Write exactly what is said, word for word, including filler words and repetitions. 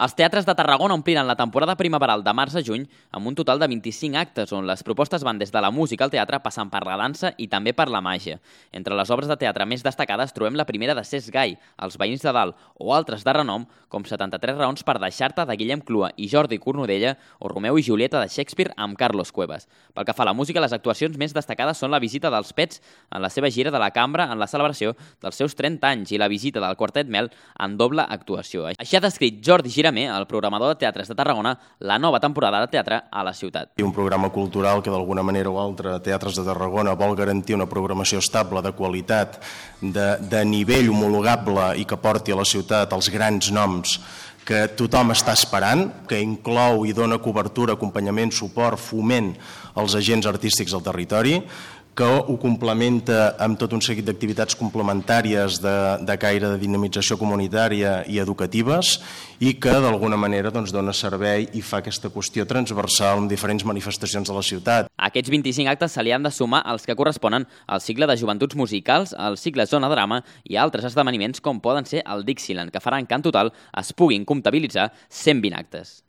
Els teatres de Tarragona ompliran la temporada primaveral de març a juny amb un total de vint-i-cinc actes on les propostes van des de la música al teatre passant per la dansa i també per la màgia. Entre les obres de teatre més destacades trobem la primera de Cesc Gai, Els veïns de dalt, o altres de renom com setanta-tres raons per deixar-te de Guillem Clua i Jordi Cornudella o Romeu i Julieta de Shakespeare amb Carlos Cuevas. Pel que fa a la música, les actuacions més destacades són la visita dels Pets en la seva gira de la Cambra en la celebració dels seus trenta anys i la visita del Quartet Mel en doble actuació. Així ha descrit Jordi Gira, el programador de teatres de Tarragona, la nova temporada de teatre a la ciutat. Un programa cultural que d'alguna manera o altra Teatres de Tarragona vol garantir una programació estable, de qualitat, de, de nivell homologable i que porti a la ciutat els grans noms que tothom està esperant, que inclou i dona cobertura, acompanyament, suport, foment als agents artístics del territori, que ho complementa amb tot un seguit d'activitats complementàries de, de caire de dinamització comunitària i educatives i que d'alguna manera doncs, dona servei i fa aquesta qüestió transversal amb diferents manifestacions de la ciutat. A aquests vint-i-cinc actes se li han de sumar els que corresponen al cicle de joventuts musicals, al cicle Zona Drama i altres esdeveniments com poden ser el Dixieland, que faran que en total es puguin comptabilitzar cent vint actes.